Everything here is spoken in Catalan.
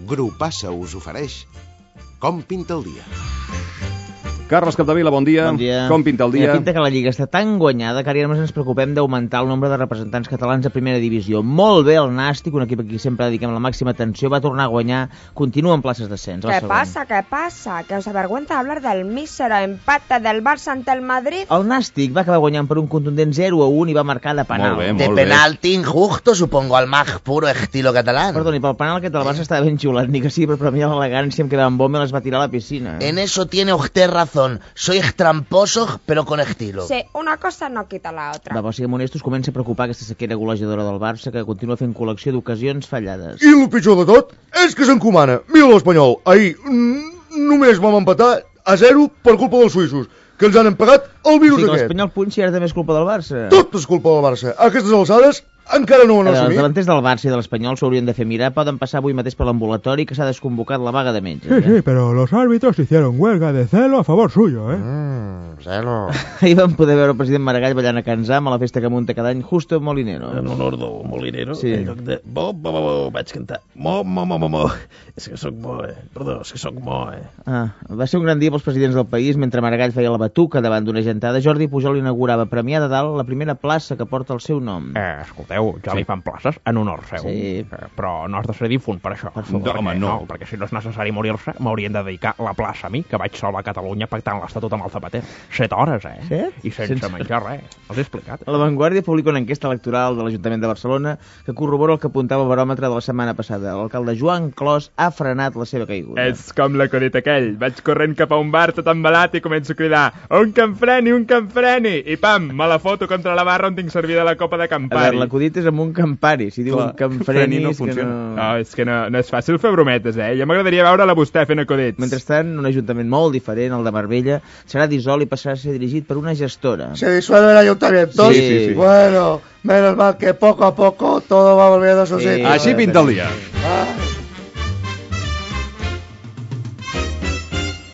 Grupassa us ofereix Com pinta el dia. Carles Capdevila, bon dia. Bon dia. Com pinta el dia? Pinta que la Lliga està tan guanyada que ara només ens preocupem d'augmentar el nombre de representants catalans a primera divisió. Molt bé el Nàstic, un equip a qui sempre dediquem la màxima atenció, va tornar a guanyar, continua en places d'ascens. ¿Qué pasa? ¿Que os avergüenza hablar del mísero empate del Barça ante el Madrid? El Nàstic va acabar guanyant per un contundent 0-1 i va marcar de penal. Molt bé. Penalti injusto, supongo, al más puro estilo catalán. Perdoni, pel penal aquest del Barça estava ben xiulat, ni que sigui per premiar l'elegància amb què Van Bommel es va tirar a la piscina. En eso tiene usted razón. Soy tramposo, pero con estilo. Sí, una cosa no quita la otra. Va, però siguem honestos, comença a preocupar aquesta sequera golejadora del Barça que continua fent col·lecció d'ocasions fallades. I el pitjor de tot és que s'encomana. Mira l'Espanyol, ahir només vam empatar a 0 per culpa dels suïssos, que ens han empagat el virus aquest. L'Espanyol punxi ara també és culpa del Barça. Tot és culpa del Barça. A aquestes alçades encara no ho han Els assumit. davanters del Barça i de l'Espanyol s'haurien de fer mirar. Poden passar avui mateix per l'ambulatori que s'ha desconvocat la vaga de metges. Sí, pero los árbitros hicieron huelga de celo a favor suyo, ¿eh? Celo. Ahir vam poder veure el president Maragall ballant a Can Zam a la festa que munta cada any Justo Molinero. En honor del Molinero, Sí. en lloc de bo, vaig cantar mo. És que soc bo, Perdó, és que soc bo, Va ser un gran dia pels presidents del país. Mentre Maragall feia la batuca davant d'una gentada, Jordi Pujol inaugurava Premià de Dalt la primera plaça que porta el seu nom. Escolteu, ja li fan places en honor seu. Sí. Però no has de ser difunt per això. Per favor. Home, no. Perquè si no és necessari morir-se, m'haurien de dedicar la plaça a mi, que vaig sol a Catalunya pactant l'Estatut amb el Zapater. 7 hores, 7? I sense menjar res. Els he explicat. La Vanguardia publica una enquesta electoral de l'Ajuntament de Barcelona que corrobora el que apuntava el baròmetre de la setmana passada. L'alcalde Joan Clos ha frenat la seva caiguda. És com l'acudit aquell. Vaig corrent cap a un bar tot embalat i començo a cridar un que em freni! I pam, me la foto contra la barra on tinc servida la copa de A Campari. veure, l'acudit és amb un Campari. Si diu que em freni no és que funciona. No, és que no és fàcil fer brometes, Ja m'agradaria veure-la vostè fent acudits. Mentrestant, un ajuntament molt diferent, el de Marbella, serà dissolt i passarà a ser dirigit per una gestora. Se disuelve el ayuntamiento. Sí. Bueno, menos mal que poco a poco todo va volviendo a su sitio. Així pinta el dia. Ah.